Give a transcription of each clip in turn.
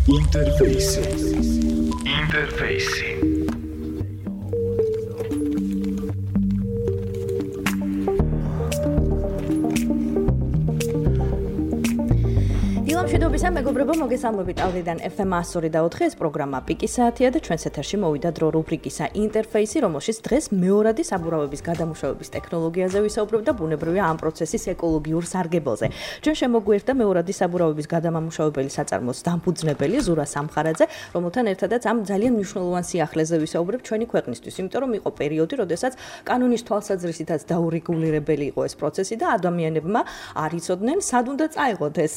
Interface. მშვიდობისა მეგობრებო, მოგესალმებით ავდიდან FM 102.4 ეს პროგრამა პიკის საათია და ჩვენს ეთერში მოვიდა დრო რუბრიკისა ინტერფეისი, რომელშიც დღეს მეორადი საბურავების გადამუშავების ტექნოლოგიაზე ვისაუბრებ და ბუნებრივია ამ პროცესის ეკოლოგიურ სარგებელზე. ჩვენ შემოგვიერთდა მეორადი საბურავების გადამამუშავებელი საწარმოს დამფუძნებელი ზურა სამხარაძე, რომელთან ერთადაც ამ ძალიან მნიშვნელოვან სიახლეზე ვისაუბრებ ჩვენი ქვეყნისთვის, იმიტომ რომ იყო პერიოდი, როდესაც კანონის თვალსაზრისითაც დაურეგულირებელი იყო ეს პროცესი და ადამიანებმა არ იცოდნენ, სად უნდა წაეღოთ ეს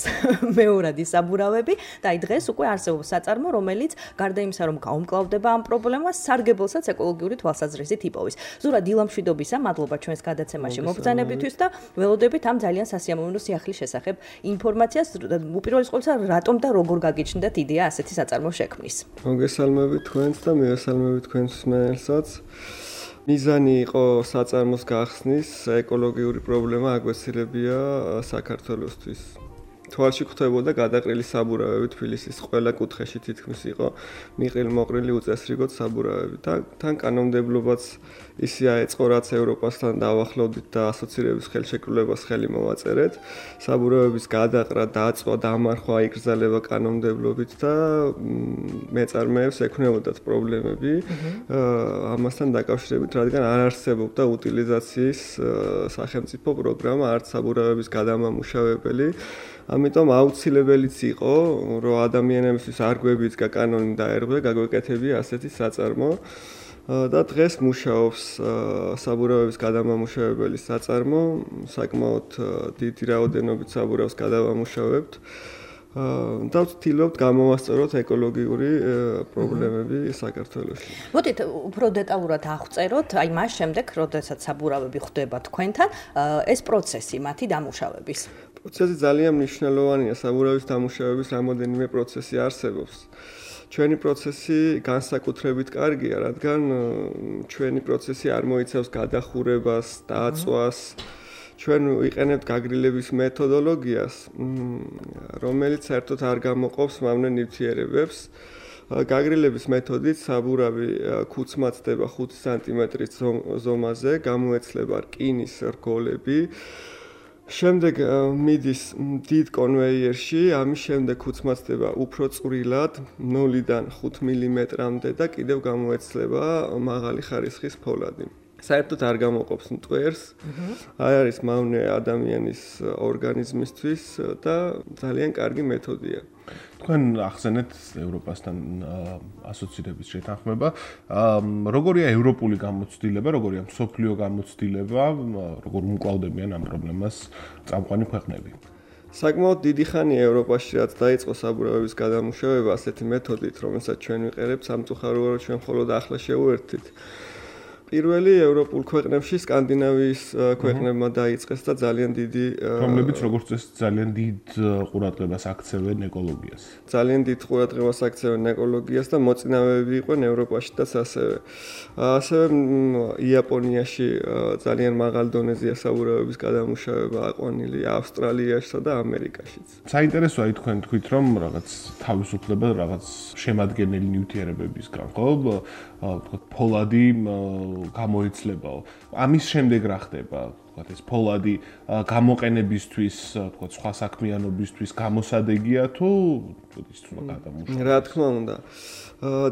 მეორადი საბურავები და აი დღეს უკვე არსებობს საწარმო, რომელიც გარდა იმისა, რომ გაუმკლავდება ამ პრობლემას, სარგებელსაც ეკოლოგიური თვალსაზრისით იპოვის. ზურა დილამშვიდობისა, მადლობა ჩვენს გადაცემაში მობრძანებისთვის და ველოდებით ამ ძალიან სასიამოვნო სიახლის შესახებ ინფორმაციას. უპირველეს ყოვლისა, რატომ და როგორ გაგიჩნდათ იდეა ასეთი საწარმო შექმნის? მოგესალმებით თქვენს და მივესალმებით თქვენს მსმენელსაც. მიზანი იყო საწარმოს გახსნის, ეკოლოგიური პრობლემა აგვესილებია საქართველოსთვის. თვალში ხვდებოდა გადაყრილი საბურავები თბილისის ყველა კუთხეში თითქმის იყო მიყრილ-მოყრილი უწესრიგოდ საბურავები და თან კანონმდებლობაც ისე აეწყო, რაც ევროპასთან დავახლოვდით და ასოცირების ხელშეკრულებას ხელი მოვაწერეთ. საბურავების გადაყრა, დაწვა, დამარხვა იკრძალება კანონმდებლობით და მეწარმეებს ექნებოდათ პრობლემები ამასთან დაკავშირებით, რადგან არ არსებობდა უტილიზაციის სახელმწიფო პროგრამა არც საბურავების გადამამუშავებელი. ამიტომ აუცილებელიც იყო, რომ ადამიანებისთვის არ გვებიძგა კანონი დაერღვე, გაგვეკეთებია ასეთი საწარმო. და დღეს მუშაობს საბურავების გადამამუშავებელი საწარმო, საკმაოდ დიდი რაოდენობით საბურავს გადავამუშავებთ. და ვცდილობთ გამოვასწოროთ ეკოლოგიური პრობლემები საქართველოში. მოდით უფრო დეტალურად აღწეროთ, აი მას შემდეგ, როდესაც საბურავები ხდება თქვენთან, ეს პროცესი მათი დამუშავების. პროცესი ძალიან მნიშვნელოვანია, საბურავის დამუშავების რამოდენიმე პროცესი არსებობს. ჩვენი პროცესი განსაკუთრებით კარგია, რადგან ჩვენი პროცესი არ მოიცავს გადახურებას, დაწვას. ჩვენ ვიყენებთ გაგრილების მეთოდოლოგიას, რომელიც საერთოდ არ გამოყოფს მავნე ნივთიერებებს. გაგრილების მეთოდით საბურავი ქუცმაცდება 5 სანტიმეტრის ზომაზე, გამოეცლება რკინის რგოლები. შემდეგ მიდის დიდ კონვეიერში, ამის შემდეგ ქუცმაცდება უფრო წვრილად, 0-დან 5 მმ-მდე და კიდევ გამოეცლება მაღალი ხარისხის ფოლადი. საერთოდ არ გამოყოფს მტვერს. არ არის მავნე ადამიანის ორგანიზმისთვის და ძალიან კარგი მეთოდია. თქვენ ახსენეთ ევროპასთან ასოცირების შეთანხმება. როგორია ევროპული გამოცდილება, როგორია მსოფლიო გამოცდილება, როგორ უმკლავდებიან ამ პრობლემას წამყვანი ქვეყნები? საკმაოდ დიდი ხანია ევროპაში, რაც დაიწყო საბურავების გადამუშავება ასეთი მეთოდით, რომელსაც ჩვენ ვიყენებთ, სამწუხაროა, რომ ჩვენ მხოლოდ ახლა შევუერთდით. პირველი ევროპულ ქვეყნებში სკანდინავიის ქვეყნებმა დაიწყეს და ძალიან დიდი რომლებიც როგორც წესი ძალიან დიდ ყურადღებას აქცევენ ეკოლოგიას. ძალიან დიდ ყურადღებას აქცევენ ეკოლოგიას და მოწინავეები იყვნენ ევროპაშიც ასევე. ასევე იაპონიაში ძალიან მაღალ დონეზეა საბურავების გადამუშავება აყვანილი, ავსტრალიაშსა და ამერიკაშიც. საინტერესოა თქვენ თქვით, რომ რაღაც თავისუფლება, რაღაც შემადგენელი ნივთიერებებისგან, ხო? თქვა ფოლადი გამოიცლებაო. ამის შემდეგ რა ხდება? თქვა ეს ფოლადი გამოყენებისთვის, თქვა სხვა საქმიანობისთვის გამოსადეგია თუ ის თუ გადამუშავება? რა თქმა უნდა.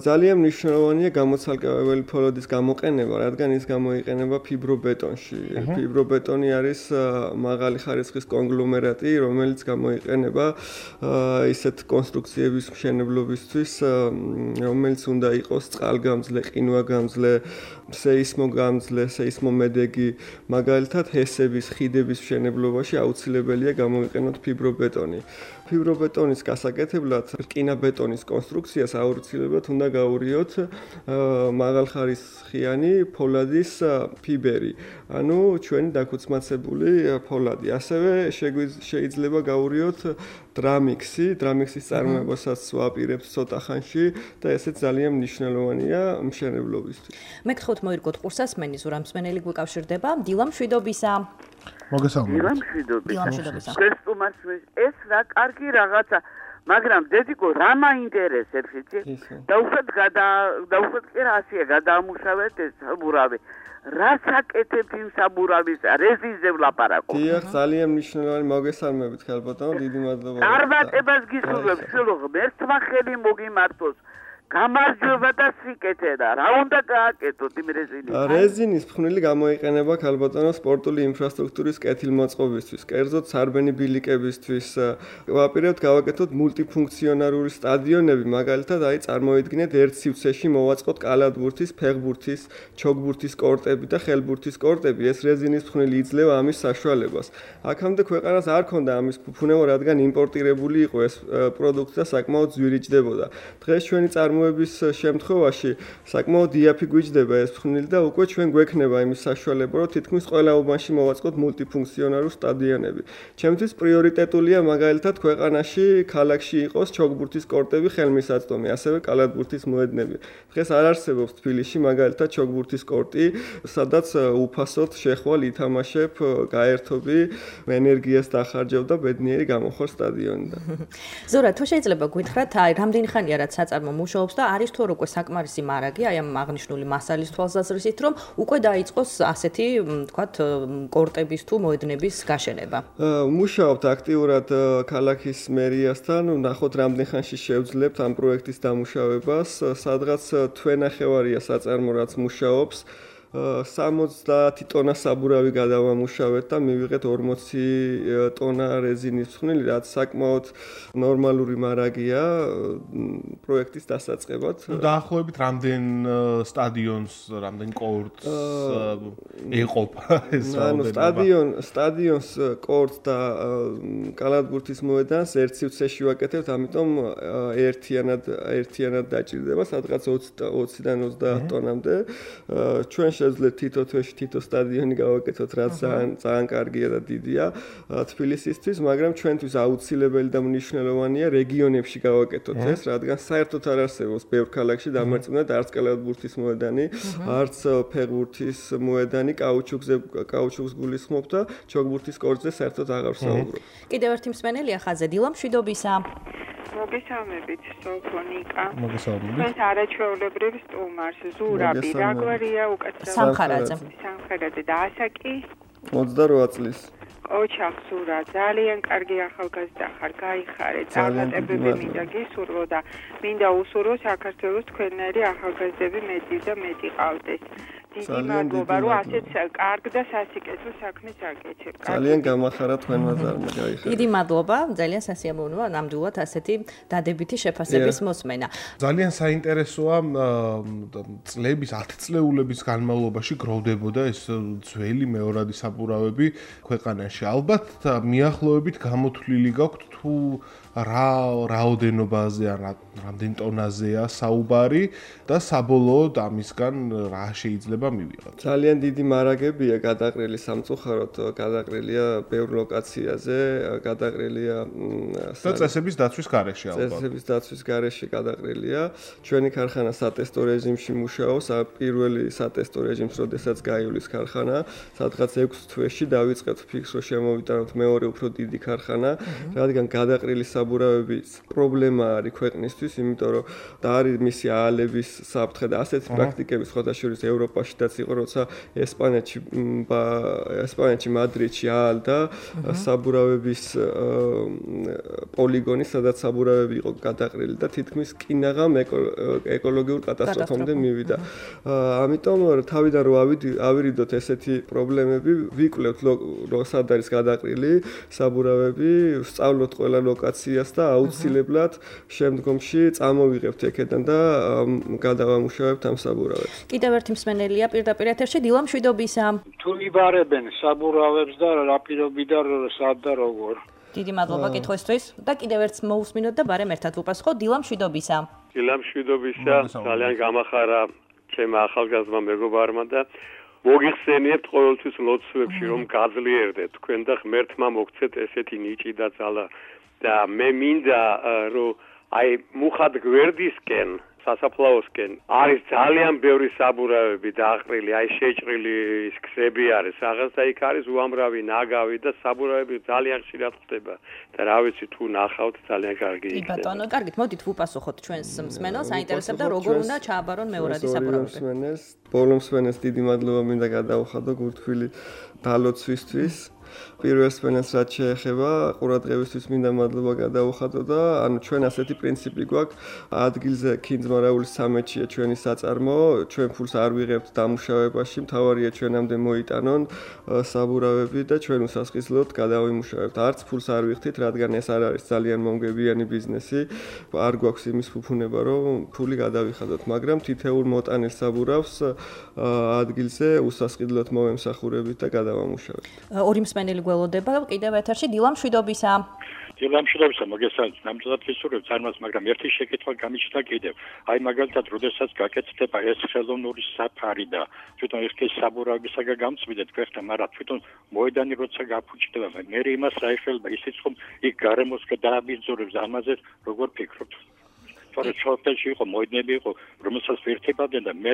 ძალიან მნიშვნელოვანია გამოცალკევებელი ფოლადის გამოყენება, რადგან ის გამოიყენება ფიბრობეტონში. ფიბრობეტონი არის მაღალი ხარისხის კონგლომერატი, რომელიც გამოიყენება ისეთ კონსტრუქციების მშენებლობისთვის, რომელიც უნდა იყოს წყალგამძლე, ყინვაგამძლე, სეისმოგამძლე, სეისმომედეგი. მაგალითად, ჰესების, ხიდების მშენებლობაში აუცილებელია გამოიყენოთ ფიბრობეტონი. ფიბრობეტონის გასაკეთებლად რკინაბეტონის კონსტრუქციას აუცილებლად უნდა გაურიოთ მაღალხარისხიანი ფოლადის ფიბერი, ანუ ჩვენი დაქუცმაცებული ფოლადი. ასევე შეიძლება გაურიოთ დრამიქსის წარმოებასაც ვაპირებთ ცოტა ხანში და ესეც ძალიან მნიშვნელოვანია მშენებლობისთვის. მე გთხოვთ მოირგოთ ყურსასმენი ზურა მსმენელი გვიკავშირდება. დილამშვიდობისა. მოგესალმებით. დილამშვიდობისა. ეს რა კარგი რაღაცა. მაგრამ დედიკო რა მაინტერესებს იცი? და უბრალოდ ასია გადაამუშავეთ ეს საბურავი. რას აკეთებ იმ საბურავის რეზინზე ვლაპარაკობ? დიახ, ძალიან მნიშვნელოვანი მოგესალმებით ხალბატონო, დიდი მადლობა. წარმატებას გისურვებ, შვილო, ერთმა ხელი მოგიმართოს. გამარჯვება და სიკეთე და რა უნდა გააკეთოთ იმ რეზინით? რეზინის ფხვნილი გამოიყენება ხალბატონო სპორტული ინფრასტრუქტურის კეთილმოწყობისთვის, კერძოდ სარბენი ბილიკებისთვის. ვაპირებთ გავაკეთოთ მულტიფუნქციონალური სტადიონები, მაგალითად, წარმოიდგინეთ ერთ სივრცეში მოვაწყოთ კალათბურთის, ფეხბურთის, ჩოგბურთის კორტები და ხელბურთის კორტები. ეს რეზინის ფხვნილი იძლევა ამის საშუალებას. აქამდე ქვეყანას არ ქონდა ამის ფუფუნებო, რადგან იმპორტირებული იყო ეს პროდუქტი და საკმაოდ ძვირიჭდებოდა. დღეს ჩვენი წარმოების შემთხვევაში საკმაოდ იაფი გვიჯდება ეს ფხვნილი და უკვე ჩვენ გვექნება იმის საშუალება, რომ თითქმის ყველა უბანში მოვაწყოთ მულტიფუნქციონალურ სტადიონები. ჩემთვის პრიორიტეტულია მაგალითად ქვეყანაში, ქალაქში იყოს ჩოგბურთის კორტები, ხელმისაწვდომი, ასევე კალათბურთის მოედნები. დღეს არ არსებობს თბილისში მაგალითად ჩოგბურთის კორტი, სადაც უფასოდ შეხვალ ითამაშებ, გაერთობი, ენერგიას დახარჯავ და ბედნიერი გამოხარ სტადიონიდან. ზურა, თუ შეიძლება გითხრათ, რამდენი ხანია რაც საწარმო მუშაობს და არის თუ უკვე საკმარისი მარაგი აი ამ აღნიშნული მასალის თვალსაზრისით, რომ უკვე დაიწყოს ასეთი, თქვათ, კორტების თუ მოედნების გაშენება. მუშაობთ აქტიურად ქალაქის მერიასთან, ნახოთ რამდენ ხანში შევძლებთ ამ პროექტის დამუშავებას, სადღაც თვენახევარია საწარმო რაც მუშაობს. 70 ტონა საბურავი გადავამუშავეთ და მივიღეთ 40 ტონა რეზინის ფხვნილი, რაც საკმაოდ ნორმალური მარაგია პროექტის დასაწყებად. დაახლოებით რამდენ სტადიონს, რამდენ კორტს ეყოფა ეს რაოდენობა? სტადიონს, კორტს და კალათბურთის მოედანს ერთ სივრცეში ვაკეთებთ, ამიტომ ერთიანად დაჭირდება, სადღაც 20-დან 30 ტონამდე. ჩვენ შეძლეთ თითო თვეში თითო სტადიონი გავაკეთოთ, რაც ძალიან კარგია და დიდია თბილისისთვის, მაგრამ ჩვენთვის აუცილებელი და მნიშვნელოვანია რეგიონებში გავაკეთოთ ეს, რადგან საერთოდ არ არსებობს ბევრ ქალაქში დამარცხებულად არც კალათბურთის მოედანი, არც ფეხბურთის მოედანი, კაუჩუკს გულისხმობ და ჩოგბურთის კორტზე საერთოდ აღარ ვსაუბრობ. კიდევ ერთი მსმენელია ხაზზე, დილა მშვიდობისა. მოგესალმებით, სოფონიკა. მოგესალმებით. ეს არაჩვეულებრივ სტუმარს ზურაბი, რა გვარია უკაცრავად? სამხარაძე და ასაკი 28 წლის. ოჩახსურა, ძალიან კარგი ახალგაზრდა ხარ, გაიხარე, წარმატებები მინდა გისურვო და მინდა უსურვო საქართველოს თქვენნაირი ახალგაზრდები მეტი და მეტი ყავდეს. დიდი მადლობა, რომ ასეთ კარგ და სასიკეთო საქმეს აკეთებ. ძალიან გამახარა თქვენმა ზარმა, გაიხარე. დიდი მადლობა, ძალიან სასიამოვნოა ნამდვილად ასეთი დადებითი შეფასების მოსმენა. ძალიან საინტერესოა წლების 10 წლეულების განმავლობაში გროვდებოდა ეს ძველი მეორადი საბურავები ქვეყანაში. ალბათ მიახლოებით გამოთვლილი გაქვთ თუ რა რაოდენობაზე ან რამდენ ტონაზეა საუბარი და საბოლოოდ ამისგან რა შეიძლება მივიღოთ. ძალიან დიდი მარაგებია გადაყრილი სამწუხაროდ, გადაყრილია ბევრ ლოკაციაზე, გადაყრილია და წესების დაცვის გარეშე ალბათ. წესების დაცვის გარეშე გადაყრილია. ჩვენი ქარხანა სატესტო რეჟიმში მუშაობს, პირველი სატესტო რეჟიმს როდესაც გაივლის ქარხანა, სადღაც 6 თვეში დავიწყეთ ფიქს, რომ შემოვიტანოთ მეორე უფრო დიდი ქარხანა, რადგან გადაყრილი საბურავების პრობლემა არის ქვეყნისთვის, იმიტომ რომ და არის მისი აალების საფრთხე და ასეთი პრაქტიკები ხოთაშორის ევროპაშიდაც იყო, როცა ესპანეთში მადრიდში აალდა საბურავების პოლიგონი, სადაც საბურავები იყო გადაყრილი და თითქმის კინაღამ ეკოლოგიურ კატასტროფამდე მივიდა. ამიტომ თავიდან რომ ავირიდოთ ესეთი პრობლემები, ვიკვლევთ სად არის გადაყრილი საბურავები, ვსწავლოთ ყველა ლოკაციას და აუცილებლად შემდგომში წამოვიღებთ აქედან და გადავამუშავებთ ამ საბურავებს. კიდევ ერთი მსმენელია პირდაპირ ეთერში, დილა მშვიდობისა. თუ იბარებენ საბურავებს და რა პირობიდან სად და როგორ? დიდი მადლობა კითხვისთვის და კიდევ ერთს მოусმინოთ და ბარემ ერთად ვუპასუხოთ. დილა მშვიდობისა. დილა მშვიდობისა, ძალიან გამახარა ჩემმა ახალგაზრდა მეგობარმა და მოგიხსენიებთ ყოველთვის ლოცვებში რომ გაძლიერდეთ თქვენ და ღმერთმა მოგცეთ ესეთი ნიჭი და ძალა და მე მინდა რომ აი მუხად გვერდისკენ სასაფლაოსკენ არის ძალიან ბევრი საბურავები დაყრილი, აი შეჭრილი ის ქსები არის, რაღაც და იქ არის უამრავი ნაგავი და საბურავები ძალიან ხშირად ხდება და რა ვიცი თუ ნახავთ ძალიან კარგი იქნება. ბატონო, კარგით, მოდით ვუპასუხოთ ჩვენს მსმენელს, საინტერესებდა როგორ უნდა ჩააბარონ მეორადი საბურავები. ბოლო მსმენელს დიდი მადლობა მინდა გადავუხადო გულთბილი დალოცვისთვის. პირველ მსმენელს რაც შეეხება ყურადღებისთვის მინდა მადლობა გადავუხადო და ანუ ჩვენ ასეთი პრინციპი გვაქვს ადგილზე ქინძმარაულის სამეთშია ჩვენი საწარმო, ჩვენ ფულს არ ვიღებთ დამუშავებაში, მთავარია ჩვენამდე მოიტანონ საბურავები და ჩვენ უსასყიდლოდ გადავიმუშავებთ. არც ფულს არ ვიხდით, რადგან ეს არ არის ძალიან მომგებიანი ბიზნესი, არ გვაქვს იმის ფუფუნება, რომ ფული გადავიხადოთ, მაგრამ თითოეულ მოტანილ საბურავს ადგილზე უსასყიდლოდ მოვემსახურებით და გადავამუშავებთ. ორი მსმენელი გველოდება კიდევ ეთერში დილა მშვიდობისა. დილა მშვიდობისა, მოგესალმებით. ნამდვილად ვისურვებ წარმოს, მაგრამ ერთი შეკითხვა გამიჩნდა კიდევ. აი მაგალითად, როდესაც გაკეთდება ეს ხელოვნური საფარი და თვითონ ეს საბურავებისაგან გამწვიდეთ ქვეყნა, მაგრამ თვითონ მოედანი როცა გაფუჭდება, მე იმას რა ეხება ისიც ხომ იქ გარემოს დააბინძურებს ამაზე, როგორ ფიქრობთ? თორე ჩოთელში იყო მოედნები იყო, რომელსაც ვერთებდნენ და მე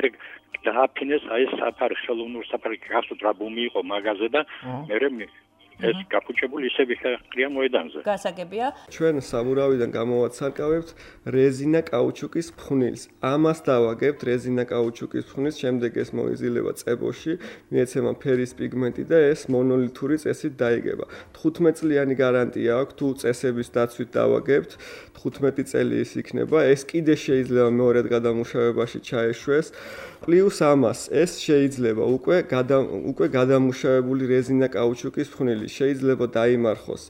დააფინეს აი ეს საფარი, ხელოვნური საფარი, გასულ დრაბუმი იყო მაღაზე და მე ეს გაფუჭებული ისე ვიხარია მოედანზე. გასაგებია. ჩვენ საბურავიდან გამოვაცარკავებთ რეზინა კაუჩუკის ფხვნილს. ამას დავაგებთ რეზინა კაუჩუკის ფხვნილს, შემდეგ ეს მოიზილება წებოში, მიეცემა ფერის პიგმენტი და ეს მონოლითური წესით დაიგება. 15 წლიანი გარანტია აქვს, თუ წესების დაცვით დავაგებთ, 15 წელი ის იქნება. ეს კიდე შეიძლება მეორედ გადამუშავებაში ჩაეშვეს. პლუს ამას ეს შეიძლება უკვე გადამუშავებული რეზინა კაუჩუკის ფხვნილი შეიძლება დაიმარხოს.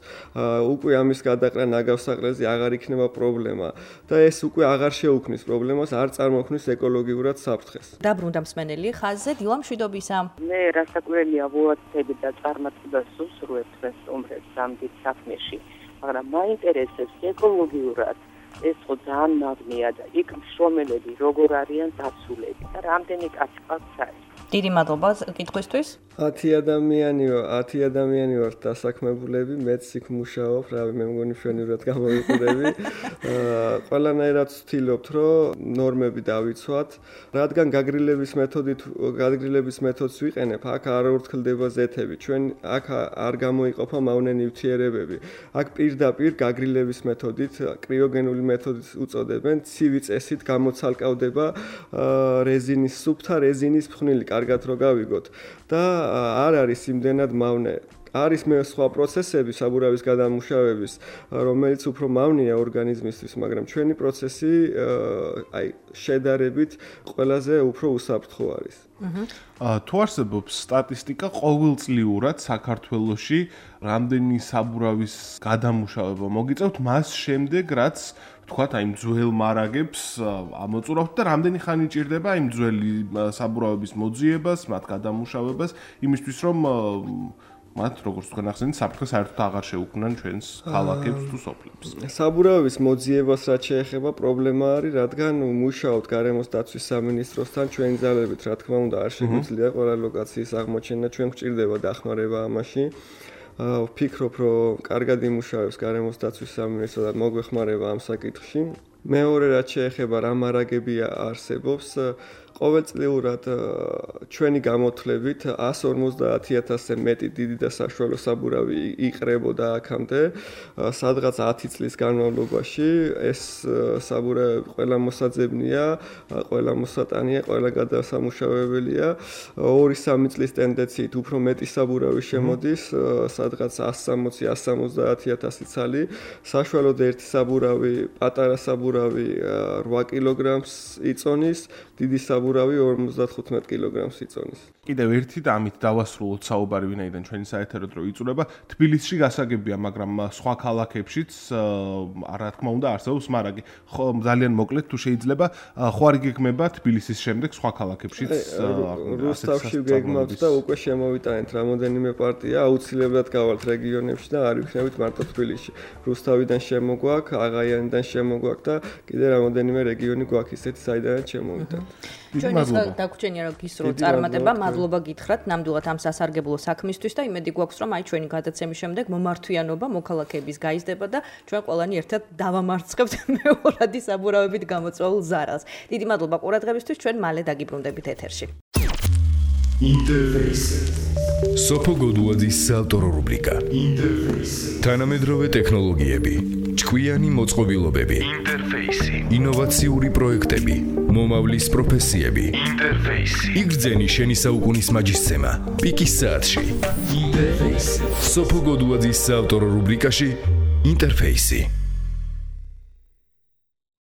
უკვე ამის გადაყრა ნაგავსაყრელზე აღარ იქნება პრობლემა და ეს უკვე აღარ შეუქმნის პრობლემას, არ წარმოქმნის ეკოლოგიურად საფრთხეს. დაბრუნდა მსმენელი ხაზზე, დილა მშვიდობისა. მე რასაკვირველია ვუაცდები და წარმატებას უსურვებ ეს სტუმრებს ამ დიდ საქმეში, მაგრამ მაინტერესებს ეკოლოგიურად ეს ხო ძალიან მაგნია და იქ მშრომელები როგორ არიან დაცულები და რამდენი კაცყავს არის. დიდი მადლობა კითხვისთვის. 10 ადამიანი ვართ დასაქმებულები, მეც იქ მუშაობ, რავი, მე მგონი მშვენივრად გამოვიყურები. ყველანაირად ვცდილობთ, რომ ნორმები დავიცვათ, რადგან გაგრილების მეთოდს ვიყენებ, აქ არ ურთქლდება ზეთები, ჩვენ აქ არ გამოიყოფა მავნე ნივთიერებები. აქ პირდაპირ გაგრილების მეთოდით, კრიოგენული მეთოდით უწოდებენ, ცივი წესით გამოცალკავდება რეზინის სუფთა რეზინის ფხვნილი, კარგად რო გავიგოთ და არ არის იმდენად მავნე. არის მე სხვა პროცესები საბურავის გადამუშავების, რომელიც უფრო მავნეა ორგანიზმისთვის, მაგრამ ჩვენი პროცესი აი შედარებით ყველაზე უფრო უსაფრთხო არის. თუ არსებობს სტატისტიკა ყოველწლიურად საქართველოში რამდენი საბურავის გადამუშავება მოგიწევთ მას შემდეგ, რაც თქვათ აი ძველ მარაგებს ამოწურავთ და რამდენი ხანი ჭირდება იმ ძველი საბურავების მოძიებას, მათ გადამუშავებას, იმისთვის რომ მათ როგორც თქვენ ახსენეთ, საფრთხე საერთოდ აღარ შეუქმნან ჩვენს ქალაქებს თუ სოფლებს. საბურავების მოძიებას რაც შეეხება, პრობლემა არის, რადგან მუშაობთ გარემოს დაცვის სამინისტროსთან, ჩვენი ძალებით, რა თქმა უნდა, არ შეგვიძლია ყველა ლოკაციის აღმოჩენა, ჩვენ გვჭირდება დახმარება ამაში. ვფიქრობ, რომ კარგად იმუშავებს გარემოს დაცვის სამინისტრო და მოგვეხმარება ამ საკითხში. მეორე რაც შეეხება რა მარაგები არსებობს, ყოველწლიურად ჩვენი გამოთვლებით 150,000-ზე მეტი დიდი და საშუალო საბურავი იყრებოდა აქამდე, სადღაც 10 წლის განმავლობაში ეს საბურავები ყველა მოსაძებნია, ყველა მოსატანია, ყველა გადასამუშავებელია. 2-3 წლის ტენდენციით უფრო მეტი საბურავი შემოდის, სადღაც 160-170,000 ცალი, საშუალოდ ერთი საბურავი, პატარა საბურავი 8 კილოგრამს იწონის, დიდი საბურავი 55 კილოგრამს იწონის. კიდევ ერთი და ამით დავასრულოთ საუბარი, ვინაიდან ჩვენი საეთერო დრო იწურება. თბილისში გასაგებია, მაგრამ სხვა ქალაქებშიც რა თქმა უნდა არსებობს მარაგი. ძალიან მოკლედ თუ შეიძლება, ხო არ გეგმება თბილისის შემდეგ სხვა ქალაქებშიც რუსთავში გეგმავთ და უკვე შემოვიტანეთ რამოდენიმე პარტია, აუცილებლად გავალთ რეგიონებში და არ ვიქნებით მარტო თბილისში. რუსთავიდან შემოგვაქვს, აღაიანიდან შემოგვაქვს და კიდე რამოდენიმე რეგიონი გვაქვს ისეთი, საიდანაც შემოვიტანთ. ჩვენ დაგვრჩენია რომ გისურვო წარმატება, მადლობა გითხრათ ნამდვილად ამ სასარგებლო საქმისთვის და იმედი გვაქვს რომ აი ჩვენი გადაცემის შემდეგ მომართვიანობა მოქალაქეების გაიზრდება და ჩვენ ყველანი ერთად დავამარცხებთ მეორადი საბურავებით გამოწვეულ ზარალს. დიდი მადლობა ყურადღებისთვის, ჩვენ მალე დაგიბრუნდებით ეთერში. ინტერფეისი. სოფო გოდუაძის საავტორო რუბრიკა. ინტერფეისი. თანამედროვე ტექნოლოგიები, ჭკვიანი მოწყობილობები, ინტერფეისი. ინოვაციური პროექტები, მომავლის პროფესიები, ინტერფეისი. იგრძენი შენი საუკუნის მაჯისცემა, პიკის საათში. ინტერფეისი. სოფო გოდუაძის საავტორო რუბრიკაში ინტერფეისი.